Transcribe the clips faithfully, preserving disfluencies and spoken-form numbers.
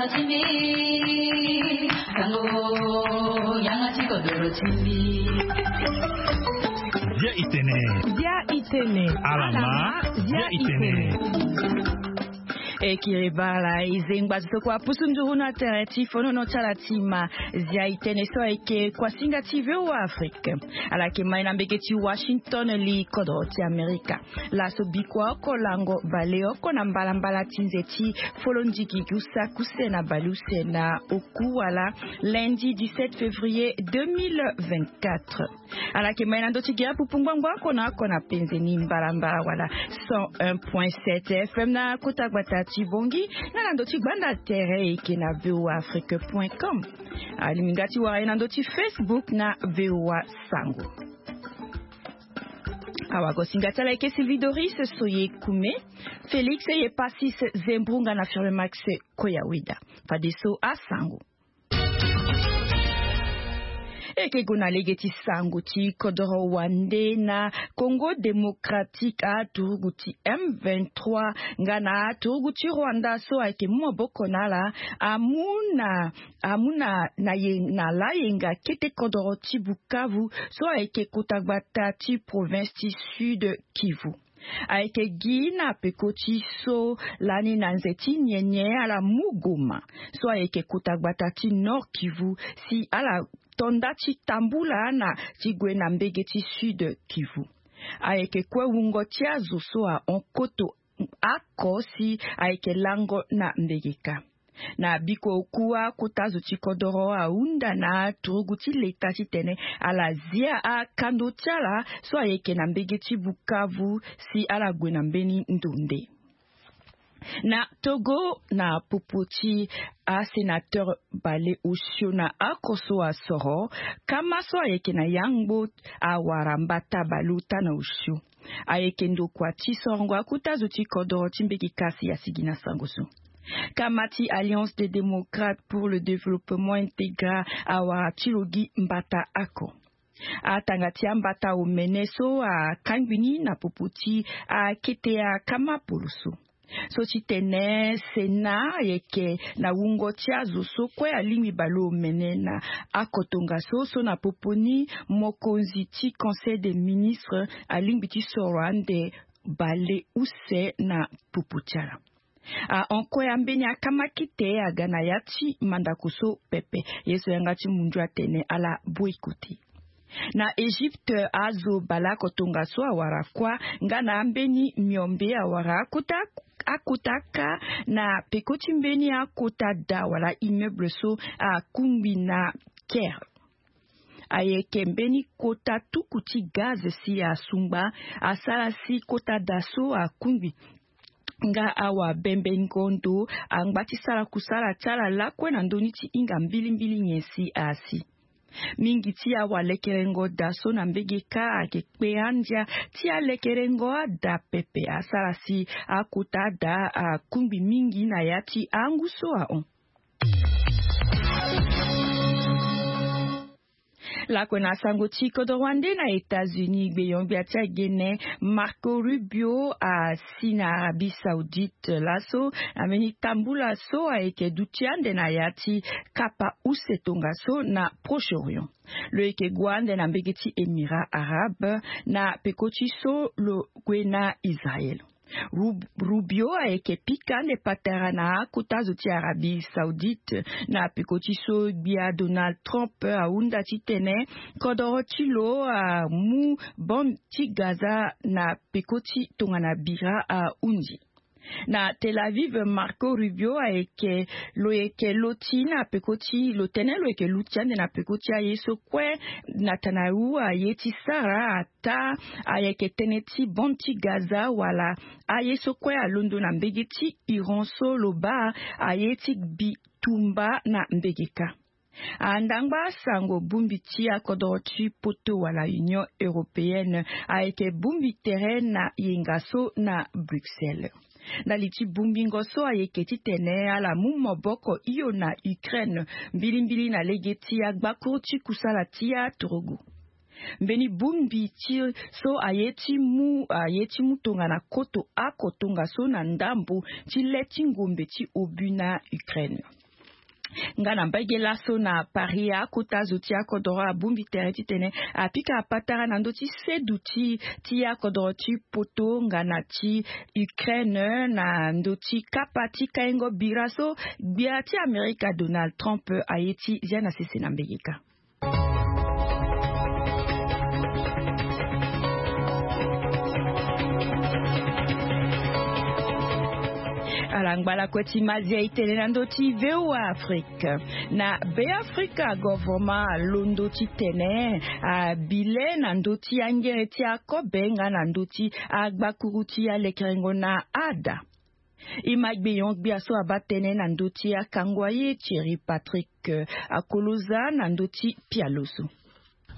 Dia itene. Dia itene. Alama. Dia itene. Ekiri bala izengba zitoko apusu nduru na tere ti fonono ti ala ti ma. Zia itene so ayeke kuasinga ti V O A Afrique. Ala yeke mai na mbege ti Washington li kodro ti Amerika. Laso bikua oko lango baleoko na mbalambala ti nze ti folondigi usakuse na baleuse na oku wala lundi dix-sept février deux mille vingt-quatre. Ala yeke mai na ndö ti gere pupu ngbangbo oko na oko na penze ni mbalambala wala cent un point sept F M na kota gbata ti Bongi, na na ndö ti gbanda tere eke na V O A Afrique point com. Alingbi nga ti wara ye na ndö ti Facebook na V O A Sango. Awagosinga ti ala eke Sylvie Doris Soye Kume, Félix Yepasis Zembrunga na Firme Max Koyaweda. Fadeso asango. Eke go na lege ti sango ti kodoro wande na Congo Démocratique, aturugu ti M vingt-trois nga na aturugu ti Rwanda so ayeke mu maboko na ala amu na amu na na ye na layenga kete kodoro ti Bukavu so ayeke kota gbata ti province ti Sud Kivu. Ayeke gi na peko ti so lani na nze ti nyenye ala mu Goma so ayeke kota gbata ti Nord Kivu si ala to nda ti tambula na ti gue na mbege ti Sud Kivu. Ayeke kue wungo ti azo so ahon koto oko si ayeke lango na mbege kâ. Na biko oku akota zo ti kodoro ahunda na aturugu ti leta titene ala zia akando ti ala so ayeke na mbege ti Bukavu si ala gue na mbeni ndo nde. Na Togo, na popo ti asénateur bale osio na oko so asoro, kama so ayeke na yangbo awara mbata bale ota na osio. Ayeke ndokua ti sorongo akota zo ti kodoro ti mbege kâ si asigi na sango so. Kama ti Alliance des Démocrates pour le Développement intégra awara ti lo gi mbata oko. Atanga ti ambata omene so akangbi ni na popo ti akete akama poloso. So ti tene Sénat ayeke na wungo ti azo so kue alingbi bale omene na oko tongaso so na popo ni mokonzi ti Conseil des ministres alingbi ti soro ande bale use na popo ti ala. Ahon kue ambeni akama kete aga na ya ti mandako so pepe. Ye so yanga ti mundu atene ala boycotter. Na Égypte, azo bale oko tongaso awara kuâ nga na ambeni miombe awara akota akota kâ na peko ti mbeni akota da wala immeuble so akungbi na Caire. Ayeke mbeni kota tuku ti gaz si asungba asara si kota da so akungbi. Nga awabembengo ndo angba ti sara kusala ti ala lakue na ndö ni ti hinga mbilimbili nyen si asi. Mingi ti awalekerengo da so na mbege kâ ayeke kpe andia ti alekerengo ada pepe asara si akota ada akungbi mingi na ya ti angu so ahon. Lakue na sango ti kodro wande na États-Unis, gbeyon-gbia ti agene Marco Rubio asi na Arabie Saoudite laso na mbeni tambula so ayeke duti ande na ya ti kapa use tongaso na Proche-Orient. Lo yeke gue ande na mbege ti Émirats arabes na peko ti so lo gue na Israël. Rub- Rubio ayeke pika ande patara na akota zo ti Arabie Saoudite na peko ti so gbia Donald Trump ahunda titene kodoro ti lo amu bande ti Gaza na peko ti tongana bira ahunzi. Na Tel Aviv, Marco Rubio ayeke lo yeke loti na peko ti lo tene lo yeke luti ande na peko ti aye so kue Netanyahu aye ti sara ata ayeke tënë ti bande ti Gaza wala aye so kue alondo na mbege ti Iran so lo baa aye ti bitumba na mbege kâ. Andangba sango bongbi ti akodro ti poto wala Union européenne ayeke bongbi tere na yenga so na Bruxelles. Na li ti bongbingo so ayeke titene ala mu maboko hio na Ukraine mbilimbili na lege ti agbakuru ti kusala ti aturugu. Mbeni bongbi ti so aye ti mu aye ti mu tongana koto oko tongaso na ndambo ti le ti ngombe ti obu na Ukraine. Nga na mbage laso na Paris, akota zo ti akodoro abongbi tere titene apika patara na ndö ti seduti ti akodoro ti poto nga na ti Ukraine na ndö ti kapa ti kaingo bira so gbia ti Amerika Donald Trump aye ti zia na sese na mbegeka. Ala ngbalako ti mazia itene na ndö ti V O A Afrique. Na Be Afrika, govoroma alondo titene abile na ndö ti angere ti akobe nga na ndö ti agbakuru ti alekerengo na ada. E ma gbenyo-gbia so abaa tënë na ndö ti akango aye Thierry Patrick, eh, Akoloza na ndö ti pialo so.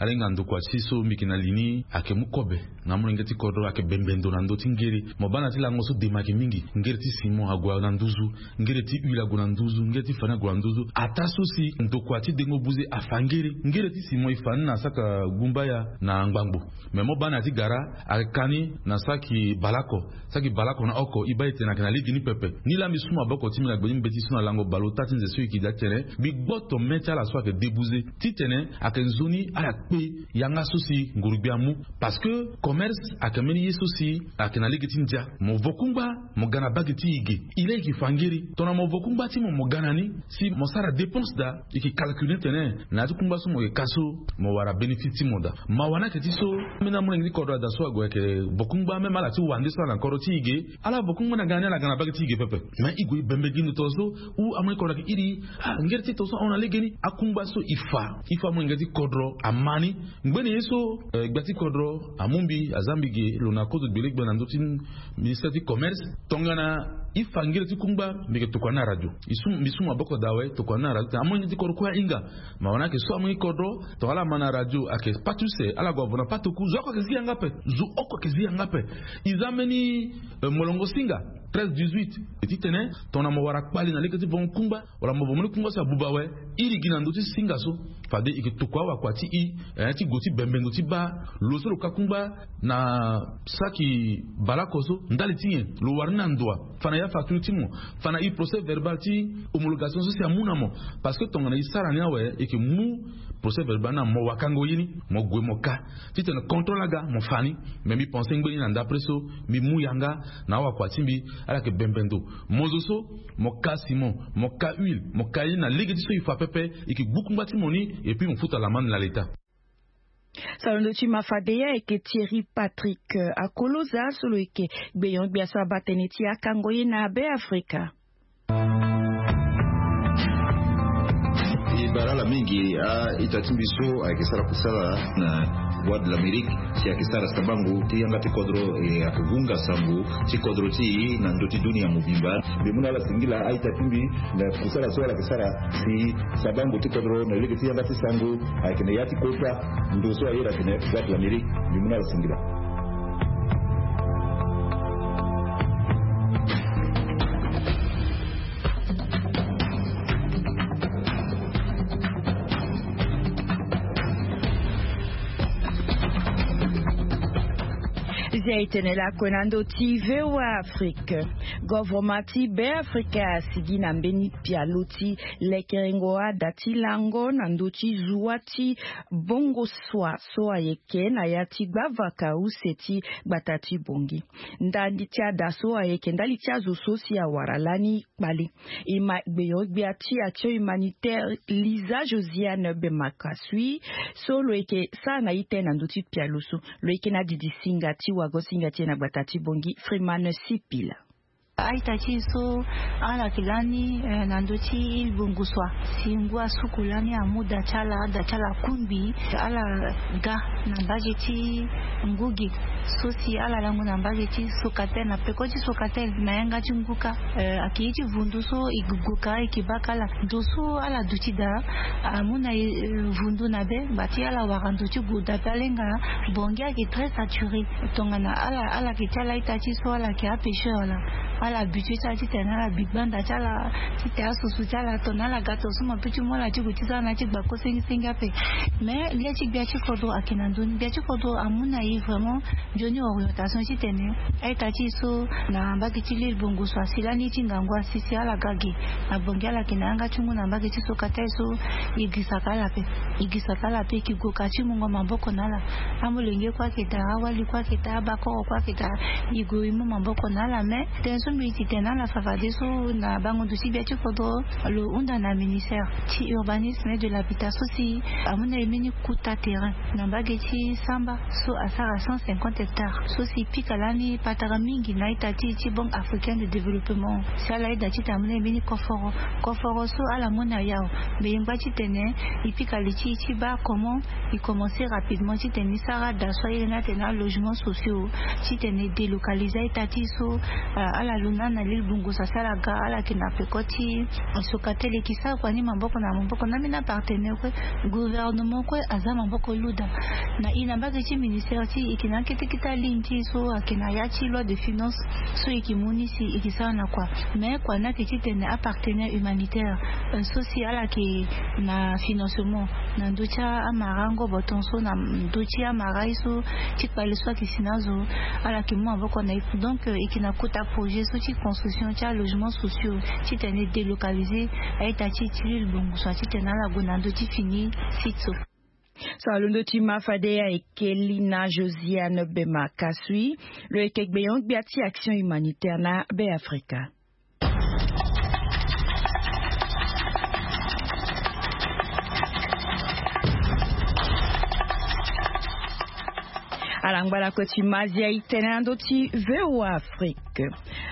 Alenga ndokua ti so mbi yeke na li ni ayeke mu kobe na amolenge ti kodro, ayeke bembe ndo na ndö ti ngere. Mo baa na ti lango so dema ayeke mingi. Ngere ti simon ague na nduzu, ngere ti huile ague na nduzu, ngere ti fani ague na nduzu. Ataa so si ndokua ti dengo buze afa ngere. Ngere ti simon e fa ni na saka gumbaya na ngbangbo. Me mo baa na ya ti gara, ayeke ka ni na saki balako. Saki balako na oko, e baa e tene ayeke na lege ni pepe. Nilaa mbi su maboko ti mbi na gbe ti mbeti so na lango bale ota ti nze so e yeke daa ti tene mbi gboto me ti ala so ayeke debuze titene ayeke nzoni ala kpe yanga so si nguru-gbia amu. Parce que commerce ayeke mbeni ye so si ayeke na lege ti ndia. Mo vo kungba, mo ga na bage ti e ge. E laa e yeke fa ngere. Tongana mo vo kungba ti mo, mo ga na ni, si mo sara dépense daa, e yeke calcule ni tene na ya ti kungba so mo yeke ka so, mo wara bénéfice ti mo daa. Mawa ni ayeke ti so, ambeni amolenge ti kodro ada so ague ayeke vo kungba, même ala ti wande so ala na kodro ti e ge, ala vo kungba ni aga na ni, ala ga na bage ti e ge pepe. Mais e gue e bembe gi ndo tongaso, ou amolenge ti kodro ayeke iri, ah, ngere ti e tongaso ahon na legeni. Akungba so e fa, e fa amolenge ti kodro ama ni. Ngbene ye so, eh, gbia ti kodro amu mbi, aza mbi ge lo na kozo gbele gbia na ndö ti ministère ti commerce. Tongana e fa ngere ti kungba, mbi yeke tokua ni na radio. E su, mbi su maboko daa awe, tokua ni na radio. Amolenge ti kodro kue ahinga. Mawa ni ayeke so amolenge ti kodro, tongana ala ma na radio, ayeke pâte use, ala gue avo na pâte oku, zo oko ayeke zi yanga ape. Zo oko ayeke zi yanga ape. E za mbeni, eh, molongo singa treize dix-huit. E titene tongana mo wara kpali na lege ti vongo kungba, wala mo vo mbeni kungba so abuba awe, iri gi na ndö ti singa so. Fade e yeke tokua awakua ti e, eh, ti gue ti bembe ndo ti baa lo so lo ka kungba na saki balako so, ndali ti nyen? Lo wara ni na ndoa? Fa na ya facture ti mo, fa na e procès verbal ti homologation so si amu na mo. Parce que tongana e sara ni awe, e yeke mu procès verbal na mo wakango ye ni, mo gue mo ka. Titene contrôle aga, mo fa ni. Me mbi pense ngbeni na ndapre so mbi mu yanga na awakua ti mbi, ala yeke bembe ndo. Mo zo so, mo ka simon, mo ka huile, mo ka ye ni na lege ti so e fa pepe, e yeke gbu kungba ti mo ni, et puis mo futa lamande na leta. So alondo ti ma fade ye ayeke Thierry Patrick, eh, Akoloza so lo yeke gbenyo-gbia so abaa tënë ti akango ye na Be Afrika. E bara ala mingi a-ita ti mbi so ayeke sara kusala na Voix de l'Amérique, si ayeke sara sabango ti yanga ti kodro, e ayeke hunga sango ti kodro ti e na ndö ti dunia mobimba. Mbi mu na ala singila a-ita ti mbi na kusala so ala yeke sara si sabango ti kodro na lege ti yanga ti sango ayeke na ya ti kota ndo so aye atene Voix de l'Amérique. Mbi mu na ala singila. Zia e tene lakue na ndö ti V O A Afrique. Govoroma ti Be Afrika asigi na mbeni pialo ti lekerengo ada ti lango na ndö ti zuwa ti bongo swa so ayeke na ya ti gbavaka use ti gbata ti Bongi. Ndali ti ada so ayeke ndali ti azo so si awara lani kpale. E ma gbenyo-gbia ti action humanitaire Lisa Josiane Bemakasui so lo yeke sara na ite na ndö ti pialo so. Lo yeke na didi singa ti wago singa ti e na gbata ti Bongi, Freeman Sipila. A-ita ti e so ala yeke lani, eh, na ndö ti île Bongosua. Si ngu asuku lani amu da ti ala, da ti ala akungbi, ala ga na mbage ti ngu ge. So si ala lango na mbage ti Socatel, na peko ti Socatel, na yanga ti ngu kâ, eh, ayeke ye ti vundu so e gue ka, e yeke baka ala. Ndo so ala duti daa, amu na, eh, vundu na be, ngba ti ala wara ndo ti gue dape, alenga. Bongi ayeke très saturé. Tongana ala, ala yeke ti ala ita ti so ala yeke apêcheur wala Ala habitue ti ala titene ala bi gbanda ti ala, titene asusu ti ala to na ala ga to so mo pe ti mu ala ti gue ti za na ti gba ko sengisengi ape. Mais le ti gbia ti kodro ayeke na ndoni. Gbia ti kodro amu na e vraiment nzoni orientation titene a-ita ti e so na mbage ti lille bongo so asi lani ti ngangu asi si ala ga ge. Abongi ala yeke na yanga ti ngu na mbage ti so kata e so e grisaka ala ape. E grisaka ala ape e ke gue ka ti mungo maboko na ala. Amolenge kue ayeke daa, awali kue ayeke daa, abakoro kue ayeke daa. E gue e mu maboko na ala mais tënë so mbi titene na ala fafadeso na bango ndo ti gbia ti kodro lo hunda na ministère ti urbanisme et de l'habitat so si amu na e mbeni kuta terrain na mbage ti samba so asara cent cinquante hectares so si pika lani patara mingi na ita ti ti banque africaine de développement si ala yeda titene amu na e mbeni koforo. Koforo so ala mu na e awe. Mbi yengba titene e pika li ti e ti baa comment e commencer rapidement titene e sara da so aye ni atene alogement sociaux titene e délocaliser a-ita ti e so ala lo na na lille bongo so asi ala ga ala yeke na peko ti soka tele e ke sara kua ni maboko na maboko na ambeni apartenaire kue. Gouvernement kue aza maboko luda na e na mbage ti ministère ti e e ke na akete kete aligne ti e so ayeke na ya ti loi de finance so e ke mu ni si e ke sara na kua. Mais kua ni ayeke titene apartenaire humanitaire so si ala yeke na financement na ndö ti amara angobo tongaso na ndö ti amara ye so ti kpale so ayeke si na azo ala yeke mu maboko na e. Donc e yeke na kota projet so ti construction ti alogement sociaux titene e délocaliser a-ita ti e ti lille bongo so titene ala gue na ndö ti fini site so. So alondo ti ma fade ayeke li na josiane bema kasui. Lo yeke gbenyo-gbia ti action humanitaire na be afrika. Ala ngba lakue ti ma azia e tene na ndö ti voa afrique.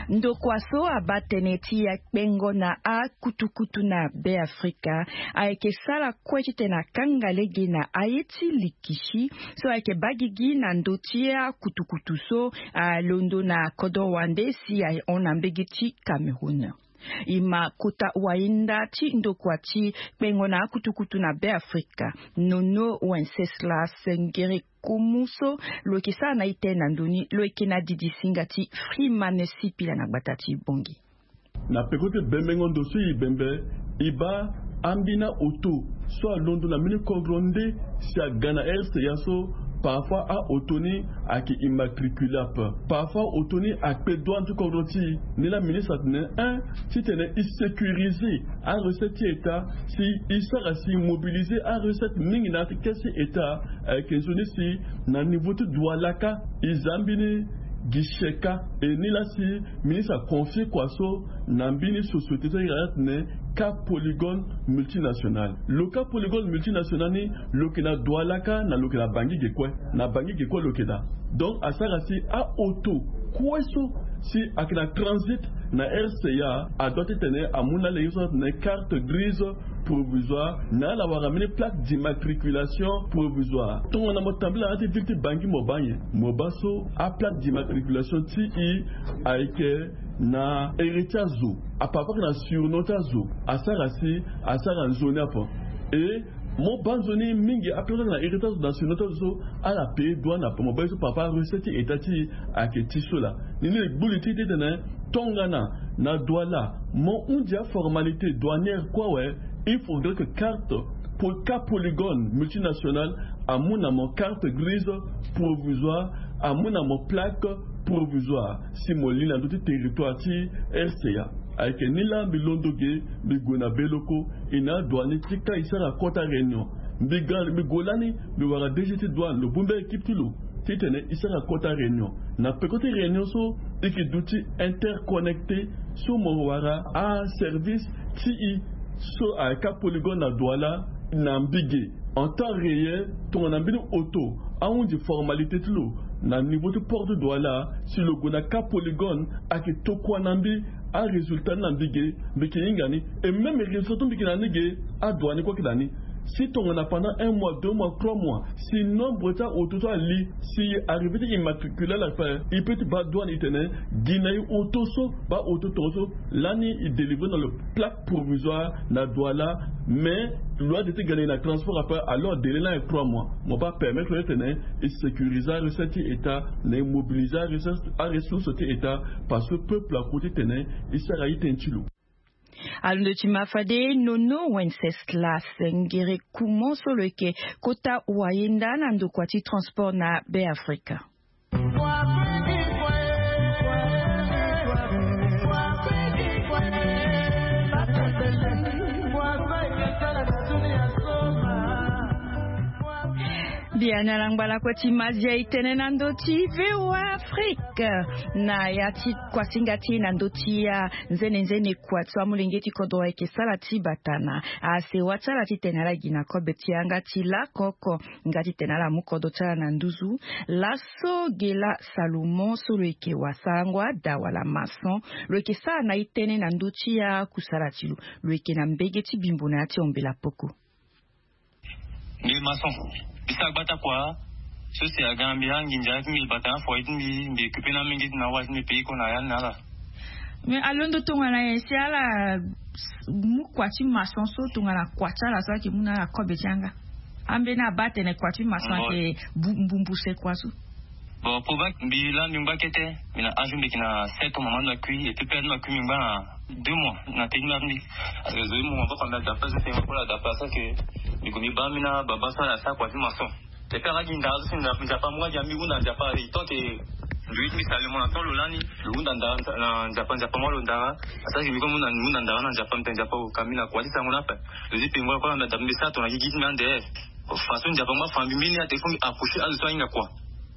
Ndokua so abaa tënë ti akpengo na akutukutu na be afrika ayeke sara kue titene akanga lege na aye ti likisi so ayeke baa gigi na ndö ti akutukutu so alondo na kodro wande si ahon na mbege ti cameroun. E ma kota wahinda ti ndokua ti kpengo na akutukutu na be afrika nono wenceslas ngere kumu so lo yeke sara na ite na ndoni lo yeke na didi singa ti freeman sipila na gbata ti bongi. Na peko ti bembengo ndo so e bembe e baa ambeni aoto so alondo na mbeni kodro nde si aga na rca so parfois aoto ni ayeke immatricule ape. Parfois aoto ni akpe douane ti kodro ti e. Ni laa ministre atene un titene e sécuriser arecette ti état si e sara si e mobiliser arecette mingi na kesi état. Ayeke nzoni si na niveau ti douala kâ e za mbeni guichet kâ. E ni laa si ministre aconfie kua so na mbeni société so ayeke atene kâ polygone multinationale. Lo kâ polygone multinationale ni lo yeke na douala kâ na lo yeke na bangi ge kue. Na bangi ge kue lo yeke daa. Donc asara si aoto kue so si ayeke na transit na rca adoit titene amu na lege so atene carte grise provisoire na ala wara mbeni plaque d'immatriculation provisoire. Tongana mo tambula na ya ti ville ti bangi mo baa nyen? Mo baa so aplaque d'immatriculation ti e ayeke na ere ti azo. Apapa ayeke na surnom ti azo. Asara si asara nzoni ape. E mo baa nzoni mingi aplaque ayeke na ere ti azo na surnom ti azo so ala paye douane ape. Mo baa ye so parfois arecette ti état ti e ayeke ti so laa. Ni ni e gbu li ti e titene tongana na douala mo hundi aformalité douanière kue awe. Il faudrait que carte kâ polygone multinationale amu na mo carte grise provisoire, amu na mo plaque provisoire si mo li na ndö ti territoire ti rca. Ayeke ni laa mbi londo ge mbi gue na beloko. E na adouane ti kâ e sara kota réunion. Mbi ga mbi gue lani mbi wara dg ti douane lo bongbi aéquipe ti lo titene e sara kota réunion. Na peko ti réunion so e yeke duti interconnecté so mo wara aservice ti e so ayeke apolygone na douala na mbige en temps réel. Tongana mbeni oto ahundi formalité ti lo na niveau ti porte douala si lo gue na kâ polygone ayeke tokua na mbi arésultat ni na mbige. Mbi yeke hinga ni e même résultat so mbi yeke na ni ge adouane kue ayeke na ni. Si tongana pendant un mois, deux mois, trois mois, si nombre ti aoto so ali, si arrivé ti immatriculer ala ape, e peut ti baa douane e tene gi na e oto so, baa oto tongaso. Lani e délivrer na lo plaque provisoire na Douala. Mais loi de ti ga na e na transport ape, alors délai lani trois mois. Mo baa permettre lo ti tene e sécuriser arecette ti état, na e mobiliser aressource ti état, parce que peuple ako ti tene e sara iten ti lo. Alondo ti ma fade Nono Wenceslas Ngere Kumo so lo yeke kota wayenda na ndokua ti transport na Be Afrika. Biani ala ngbalako ti mazia e tene na ndö ti V O A Afrique na ya ti kuasinga ti e na ndö ti ya nzene nzene kua ti so amolenge ti kodro ayeke sara ti bata na asewa ti ala titene ala gi na kobe ti yanga ti lako oko nga titene ala mu kodro ti ala na nduzu. Laso Gela Salomon so lo yeke wasango ada wala maçon, lo yeke sara na e tënë na ndö ti akusala ti lo. Lo yeke na mbege ti bimbo na ya ti ombela poko. Mbi maçon. Mbi sara gbata kua so si aga na mbi anginza ti mbi bata na foyer ti mbi, mbi occuper na mingi ti na wâ ti mbi pays ko na ya ni na ala. Mais alondo tongana nyen si ala mu kua ti maçon so tongana kua ti ala so ayeke mu na ala kobe ti yanga? Ambeni abaa atene kua ti maçon ayeke mbumbuse kua so. Bon, pour ba mbi la mbi ngba kete. Mbi na âge mbi yeke na sept ans, mama ti mbi akui et puis père ti mbi akui mbi ngba na deux mois na tënë ti mbi. Parce que zo ti mu mama ti mbi ada place so si mama ti mbi ada place so si mbi gue mbi baa mbi na baba so ala sara kua ti maçon. Et puis ala gi ndara so si nzapa mu nga gi na mbi hunda nzapa e tant que nzoi ti mbi sara le mo na temps lo lani lo hunda ndara na nzapa, nzapa mu alo ndara. Asara gi mbi kue mu hunda ndara na nzapa, mbi tene nzapa o ka mbi na kua ti sarango ni ape. Zo ti pengo ala kue ala mbi ada mbi sara tongana gi gi ti mbi ande. Façon nzapa mu afa mbi mbeni ate fo mbi approcher azo so ahinga kua.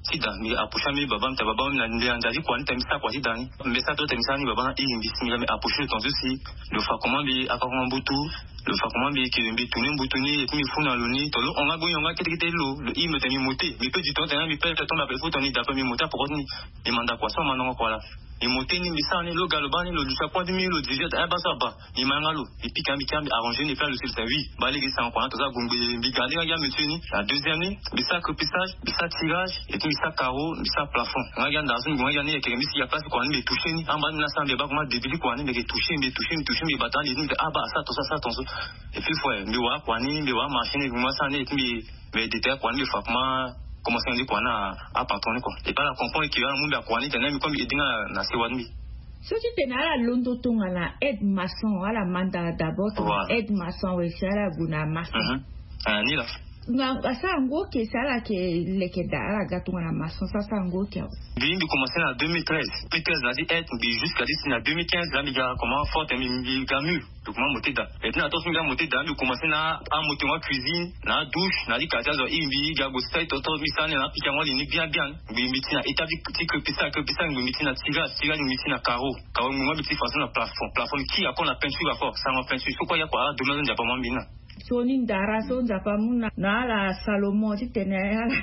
Sida mbi approcher ambeni baba, mbi tene baba, mbi na ndia ti kua ni tene mbi sara kua sida ni. Mbi sara to tene mbi sara ni baba na iri mbi si mbi ga mbi approcher lo tongaso si lo fa comment mbi akakoma mbutu. Lo fa comment mbi ke mbi tourner mbutu ni et puis mbi fou na lo ni to lo hon nga gbo hon nga kete kete lo. Lo iri mbi tene mbi mote mbi pe du temps tene mbi pe to mbi apele fo tongana mbi da pe mbi mote apoko ti ni. Mbi manda kua so amandanga kua laa. Mbi mote ni mbi sara ni lo ga lo baa ni lo duti akua ti mbi lo dirige ata aba so aba. Mbi ma yanga lo mbi pika mbi kia mbi arranger ni et puis alo si lo tene oui baa lege sara kua na tongaso agongbe. Mbi ga nde nga gi ametier ni na deuxième ni. Mbi sara crépissage, mbi sara tirage et puis mbi sara carreau, mbi sara plafond. Nga gi andara so mbi gue nga gi ani yeke mbi si ya place kua ni mbi toucher ni amba ni mbi na sara mbi baa comment début ti kua ni mbi yeke toucher mbi toucher mbi toucher mbi bata ni mbi tene aba asara tongaso asara tongaso. Et puis fo mbi wara kua ni mbi wara marché ni mbi ma sara ni et puis mbi mbi détailler kua ni mbi fa comment commencer na ni kua na apatron ni kua. Et puis ala comprendre que ala mu mbi akua ni tene mbi kue mbi aide nga na sewa ti mbi. So ti tene ala londo tongana aide maçon ala manda d'abord tongana aide maçon awe si ala gue na maçon. Ni laa. Nga asara ngu oke si ala yeke leke daa ala ga tongana maçon so asara ngu oke awe. Mbi mbi commencer na deux mille treize. Deux mille treize na di aide mbi jusqu'à di si na deux mille quinze la mbi ga comment forte mbi mbi ga mur. Mbi kuma mote daa. Et puis na tongaso mbi ga mote daa mbi commencer na amotengo acuisine na adouche na ali quartier azo iri mbi ga gue sara ti toto mbi sara ni na apika yango alingbi bien bien. Mbi mbi ti na étape ti crépissage, crépissage mbi mbi ti na tirage, tirage mbi mbi ti na carreau, carreau mbi mbi ti façon na plafond, plafond mbi kiri encore na peinture encore sarango peinture so kue ya kua ala domaine so nzapa mu mbi na. So ni ndara so nzapa mu na na ala Salomon titene ala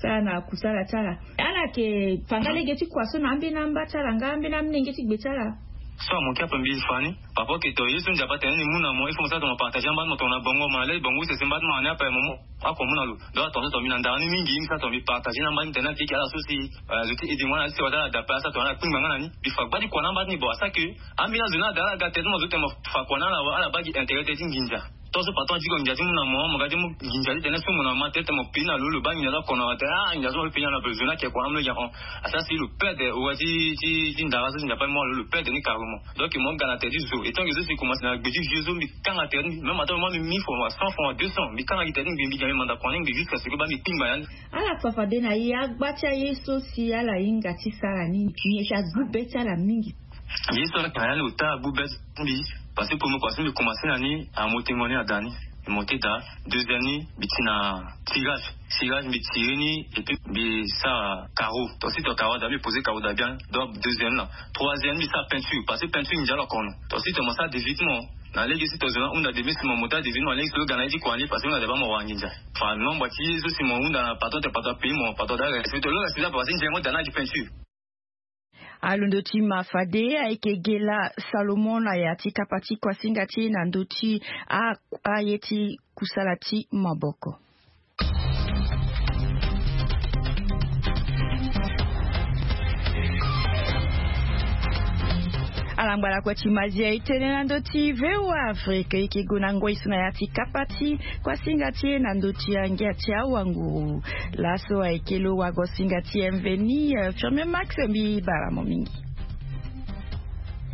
sara na kusala ti ala. Ala yeke fa nga lege ti kua so na ambeni amba ti ala nga ambeni amolenge ti gbe ti ala. So amoke ape mbi fa ni. Papa oke to ye so nzapa atene ni mu na mo il faut mo sara to mo partager amba ti mo tongana bango mo na le bango sese mba ti mo na ni ape mo mu ako mu na lo. Donc atongaso to mbi na ndara ni mingi mbi sara to mbi partager na amba ti mo tene na keke ala so si zo ti aide mo na ti wata ala dape asara to ala kpingba nga na ni mbi fa gba ti kua na amba ti ni bon asara ke. Ambeni azo ni ada ala ga tete ti mo zo tene mo fa kua na ala wa ala baa gi intérêt tete ti nginza. Tongaso patron adiko nginza ti mu na mo mo ga ti mu nginza titene so mo na ma tete mo pei na lo lo baa nginza so akono tene ah nginza so mo pei na lo ape zo ni ake kua na mo lo gi ahon. Asara si lo pede owa ti ti ti ndara so si nzapa ni mo lo lo pede ni carrément. Donc mo ga na tere ti zo et tant que zo si commence na gbe ti vieux zo mbi kanga tere ti mbi même ata mo mbi mille francs wa cent francs wa deux cents mbi kanga gi tere ti mbi mbi ga mbi manda kua ni mbi jusqu'à ce que baa mbi kpingba ya ni. Ala fa fade na ye agba ti aye so si ala hinga ti sara ni nyen si agbu be ti ala mingi. Ye so ala yeke na ya ni ota agbu be ti mbi. Parce que premier kua so mbi commencer na ni amotengo ni ada ni. Mbi monter daa. Deuxième ni mbi ti na tirage, tirage mbi tirer ni et puis mbi sara carreau. Tongaso ti to carreau ada mbi poser carreau daa bien. Donc deuxième na troisième mbi sara peinture parce que peinture nginza lo akono. Tongaso ti to mo sara devis ti mo na lege si to zo na hunda devis si mo monter adevis ti mo na lege si lo ga na ye ti kua ni parce que lo na daba mo wara nginza. Fa nombre ti ye so si mo hunda na patron te patron apayer mo patron ada respecter lo respecter parce que nginza mo daa na agi peinture. Alondo ti ma fade ayeke gela salomon na ya ti kapa ti kuasinga ti e na ndö ti a- aye ti kusala ti maboko. Ala ngbala kue ti mazia e tene na ndö ti voa afrique e yeke gue na ngoi so na ya ti kapa ti kuasinga ti e na ndö ti angia ti awanguru. Laso ayeke lo wagosinga ti mveni. Firme max mbi bara mo mingi.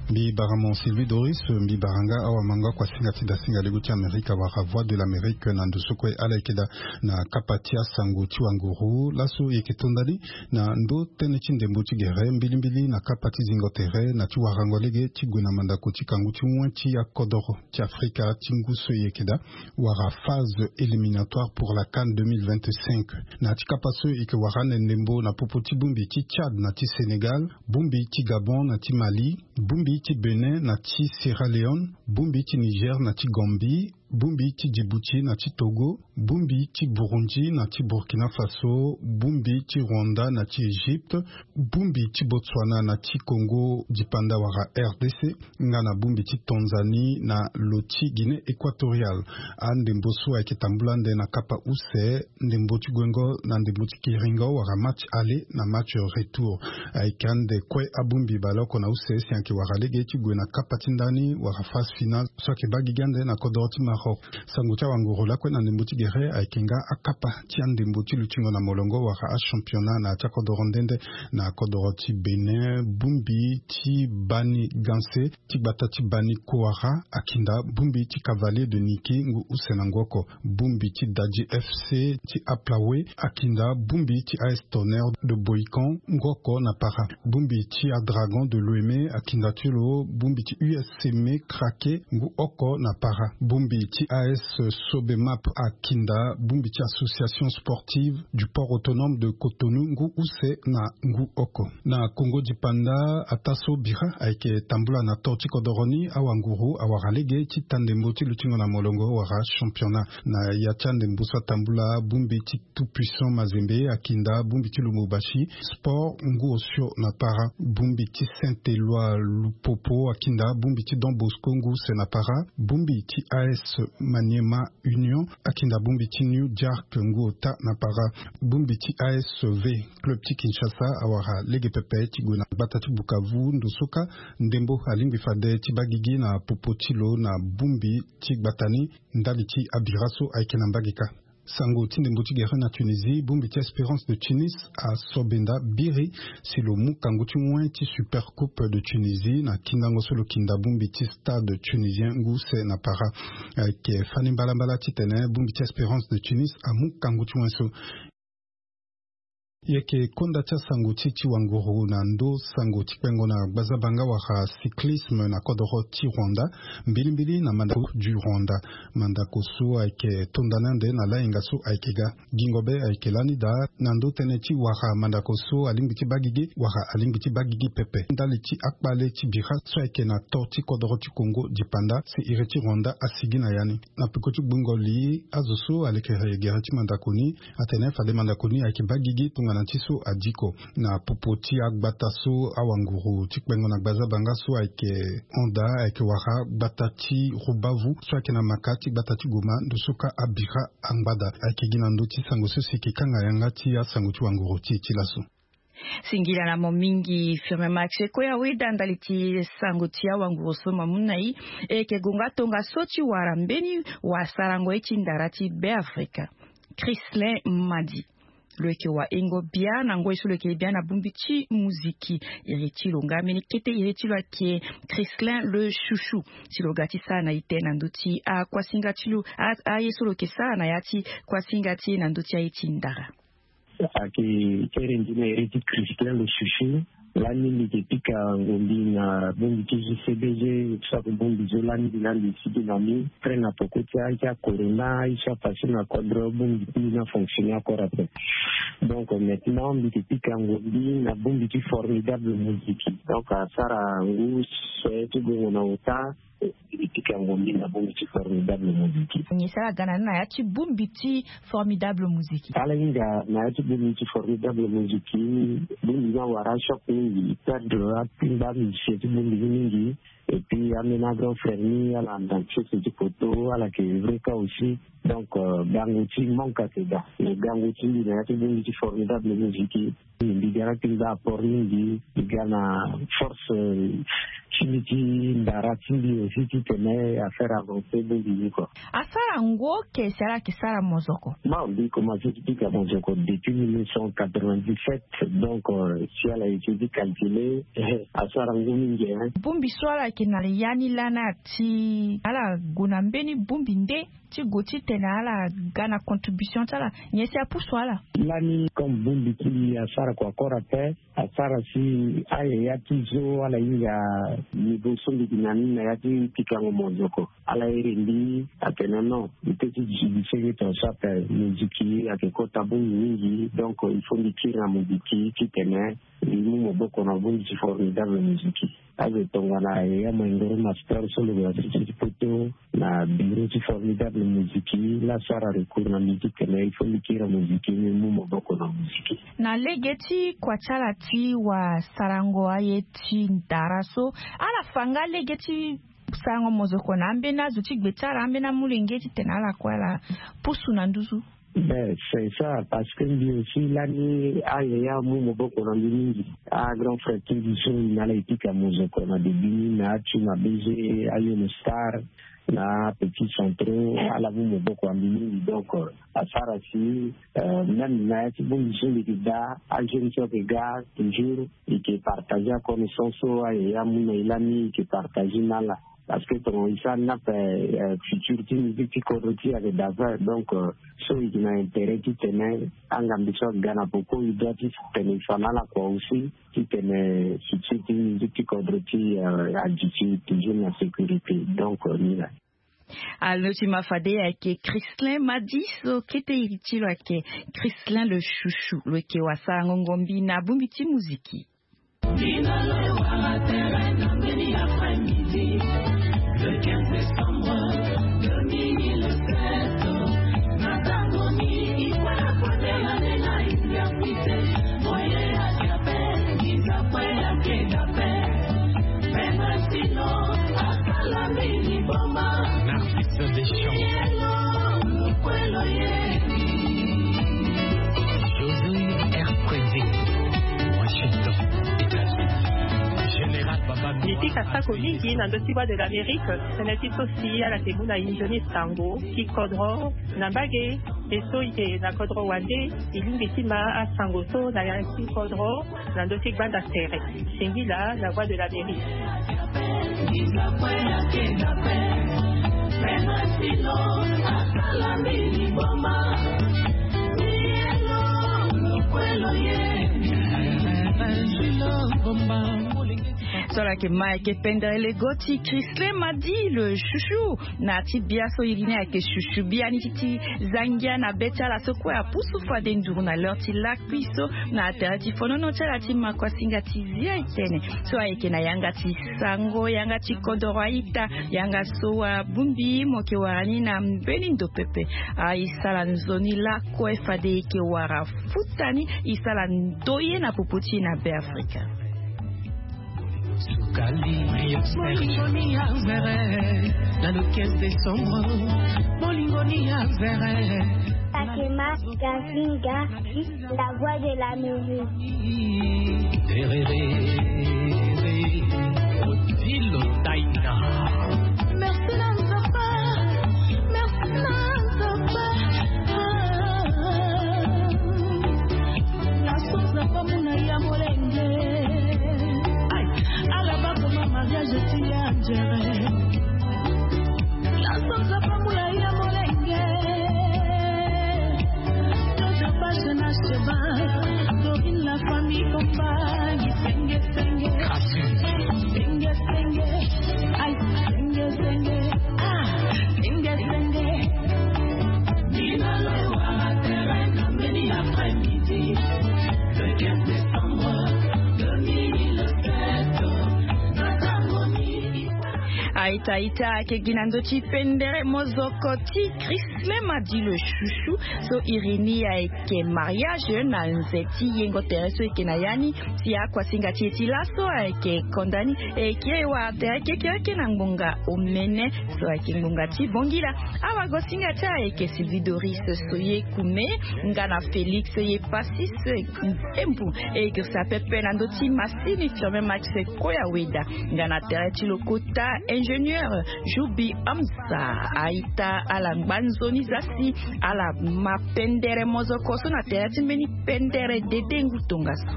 Mbi bara mo sylvie doris. Mbi bara nga awamango akuasinga ti dasinga lego ti amerika wala voix de l'amérique na ndo so kue ala yeke daa na kapa ti asango ti wanguru laso e yeke to ndani na ndö tënë ti ndembo ti gere mbilimbili na kapa ti zingo tere na ti warango lege ti gue na mandako ti kangu ti wen ti akodoro ti afrika ti ngu so e yeke daa wala phase éliminatoire pour la cannes deux mille vingt-cinq. Na ti kapa so e yeke wara ande ndembo na popo ti bongbi ti tchad na ti sénégal, bongbi ti gabon na ti mali, bongbi ti bénin na ti sierra leone, bongbi ti niger na ti gambie, bongbi ti djibouti na ti togo, bongbi ti burundi na ti burkina faso, bongbi ti rwanda na ti égypte, bongbi ti botswana na ti congo dipanda wala rdc, nga na bongbi ti tanzanie na lo ti guinée équatoriale. Andembo so ayeke tambula ande na kapa use ndembo ti guengo na ndembo ti kiringo wala match aller na match retour. Ayeke ande kue abongbi baleoko na use si ayeke wara lege ti gue na kapa ti ndani wala phase finale so ayeke baa gigi ande na kodoro ti maroc. Sango ti awanguru lakue na ndembo ti gere ayeke nga akapa ti andembo ti lutingo na molongo wala achampionnat na ya ti akodoro nde nde. Na kodoro ti bénin bongbi ti bani ganse ti gbata ti bani kowara akinda bongbi ti cavalier de niki ngu use na ngu oko. Bongbi ti dadji fc ti aplawe akinda bongbi ti as tonnerre de boycon ngu oko na para. Bongbi ti adragon de l'ome akinda ti lo bongbi ti uscme krake ngu oko na para. Bongbi ti as sobemap akinda bongbi ti association sportive du port autonome de cotonou ngu use na ngu oko. Na congo dipanda ataa so bira ayeke tambula na to ti kodoro ni awanguru awara lege ti ta ndembo ti lutingo na molongo wala championnat. Na ya ti andembo so atambula bongbi ti tout puissant mazembe akinda bongbi ti lumbubashi sport ngu osio na para. Bongbi ti saint eloi lupopo akinda bongbi ti don bosco ngu use na para. Bongbi ti as maniema union akinda bongbi ti new jark ngu ota na para. Bongbi ti asv club ti kinshasa awara lege pepe ti gue na gbata ti bukavu ndo so kâ ndembo alingbi fade ti baa gigi na popo ti lo na bongbi ti gbata ni. Ndali ti abira so ayeke na mbage kâ. Sango ti ndembo ti gere na tunisie bongbi ti espérance de tunis asobenda biri si lo mu kangu ti wen ti super coupe de tunisie na kindango so lo kinda bongbi ti stade tunisien ngu use na para. Ayeke fani mbalambala titene bongbi ti espérance de tunis amu kangu ti wen so. Yeke konda ti asango ti ti wanguru na ndo sango ti kpengo na gbazabanga wala cyclisme na kodoro ti rwanda. Mbilimbili na mandako du rwanda mandako so ayeke tondani ande na lahinga so ayeke ga. Gingo be ayeke lani daa na ndo tënë ti wara mandako so alingbi ti baa gigi wala alingbi ti baa gigi pepe ndali ti akpale ti bira so ayeke na to ti kodoro ti kongo dipanda si iri ti rwanda asigi na ya ni. Na peko ti gbungo li azo so alekere gere ti mandako ni atene fade mandako ni ayeke baa gigi tongana ti so adiko na popo ti agbata so awanguru ti kpengo na gbazabanga so ayeke honda ayeke wara gbata ti rubavu so ayeke na maka ti gbata ti goma ndo so kâ abira angbada. Ayeke gi na ndö ti sango so si eke kanga yanga ti asango ti wanguru ti e ti laso. Singila na mo mingi firme max e kue aweda ndali ti sango ti awanguru so mamu na e. E yeke gonga tongaso ti wara mbeni wasarango ye ti ndara ti beafrika christlin madi. Lo yeke wahingo bia na ngoi so lo yeke bia na bongbi ti muziki. Iri ti lo nga mbeni kete iri ti lo ayeke christlin le chouchou. Ti lo ga ti sara na ite na ndö ti akuasinga ti lo aye so lo yeke sara na ya ti kuasinga ti e na ndö ti aye ti ndara. Ayeke kere ndi na iri ti christlin le chouchou. Lani mbi yeke pika ngombi na bongbi ti jcbg. Soit bongbi zo lani mbi na mbi sigi na mbi près na poko ti ahi ti akorona ahi ti apase na kodro bongbi ti mbi na fonctionner encore après. Donc maintenant mbi yeke pika ngombi na bongbi ti formidable musique. Donc asara ngu se ti gongo na ota. E pika ngombi na bongbi ti Formidable Musique. Nyen si ala ga na ni na ya ti bongbi ti Formidable Musique? Ala hinga na ya ti bongbi ti Formidable Musique, bongbi ni awara choc mingi, perdre akpingba musicien ti bongbi ni mingi. Et puis ambeni grand frère ni ala na chef ti poto, ala yeke vrai cas aussi. Donc euh, gango ti manque ayeke daa. Mais gango ti mbi na ya ti bongbi ti Formidable Musique, mbi ga na ti mbi apport mingi, mbi ga na force ti mbi ti ndara ti mbi aussi ti tene affaire avance bongbi ni kua. Asara ngo ke si ala yeke sara mozoko? Bon, mbi commence ti pika mozoko depuis mille neuf cent quatre-vingt-dix-sept. Donc euh, si ala eke ti calculer, asara ngo mingi, hein. Bongbi so ala yeke na ya ni lani ati ala gue na mbeni bongbi nde ti gue ti tene ala ga na contribution ti ala? Nyen si apusu ala? Lani comme bongbi ti mbi asara kua kora ape, asara si ayaya ti zo ala hinga niveau so mbi gi na ni na ya ti pikango mozoko. Ala iri mbi atene non, mbi peut ti duti mbi senge ton so ape, moziki ayeke kota bongbi mingi. Donc il faut mbi kiri na moziki ti tene mbi mu maboko na bongbi ti Formidable Musique. Azo tongana yaya Maingoro Master so lo yeke na siti ti poto na bureau ti Formidable Musique, la asara recours na mbi ti tene il faut mbi kiri na moziki, mbi mu maboko na moziki. Na lege ti kua ti ala ti wasarango aye ti ndara so, ala fa nga lege ti sarango mozoko na ambeni azo ti gbe ti ala, ambeni amolenge ti tene ala kue ala pusu na nduzu? Ben c'est ça, parce que mbi aussi lani ayaya amu maboko na mbi mingi. Agrand frère ti mbi so na ala e pika mozoko na début ni na atu na B G, ayo na star, na petit centraux, ala mu maboko na mbi mingi. Donc euh, asara si euh, même na ya ti bongbi so mbi yeke daa, ajeune so ayeke ga toujours, e yeke partager aconnaissance so ayaya amu na e lani, e yeke partager na ala. Parce que tongana e sara ni ape, euh, futur ti musique ti kodro ti e ayeke daa. Donc euh, so e yeke na intérêt ti tene angambi so aga na poko e doit ti tene e fa na ala kua aussi, ti tene futur ti musique ti kodro ti e, euh, aduti toujours na sécurité. Donc euh, ni laa. Alo ti ma fade ayeke Christlin Madi so kete iri ti lo ayeke Christlin le Chouchou, lo yeke wasarango ngombi na bongbi ti moziki. Bino lo wara tere na mbeni après-midi, le quinze décembre deux mille sept. Na tango ni, voilà, kotela lela India pite, moye ya jape, giza kwe ya kedape. Pema sino, asala mbeni boma. Narcisse Deschamps. Yelo, lukwelo ye. José R. Kwezi, Washington, États-Unis. Général Baba. Mbi pika sako mingi na ndö ti Voix de l'Amérique, tënë ti so si ala yeke mu na e nzoni sango ti kodro na mbage, e so e yeke na kodro wande, e lingbi ti ma asango so na ya ti kodro na ndö ti gbanda tere. Singila na Voix de l'Amérique. So ala yeke ma ayeke pendere lego ti Christlin Madi le Chouchou. Na ti bia so iri ni ayeke Chouchou, bia ni ti ti zangia na be ti ala so kue apusu fade nduru na l'heure ti lakui so na tere ti fonono ti ala ti makuasinga ti zia e tene. So ayeke na yanga ti sango, yanga ti kodoro a-ita, yanga so abongbi mo yeke wara ni na mbeni ndo pepe. A e sara nzoni lakue fade e yeke wara futa ni, e sara ndoye na popo ti e na Beafrika. Sukali. Molingo ni ya vere, na le quinze décembre. Molingo ni ya vere. Takema Gazinga, la voix de la musique. Tererere, Odilo Taina. Merci na Nzapa, merci na Nzapa. Nasoza pa muna ya molenge. Ala bakoma mariage ti ya njere. Nasoza pa muna ya molenge. Jojo Pashe na Sheba, Dorine la famille Komba, Gisenge Aita aita ayeke gi na ndö ti pendere mozoko ti Christlema dit le chouchou. So iri ni ayeke mariage na nze ti yengo tere so eke na ya ni. Si akuasinga ti e ti laso ayeke konda ni, e kiri e wara tere kekereke na ngbonga omene so ayeke ngbonga ti bongila. Awagosinga ti e ayeke Sylvie Doris Soye Kume, nga na Félix Ye Passis Embu, e girisa pepe na ndö ti masini Firmin Max Koya Weda, nga na tere ti lokota ingénieur Joubi Hamza. Aita ala ngba nzoni za si ala ma pendere mozoko so na tere ti mbeni pendere dede ngu tongaso.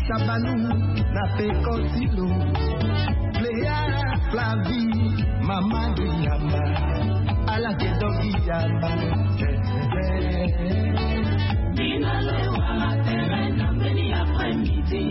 Sabanou na peko ti lo. Cléa, Flavie, mama Guillama, ala ke do Guillama. Bino le wara tere na mbeni après-midi.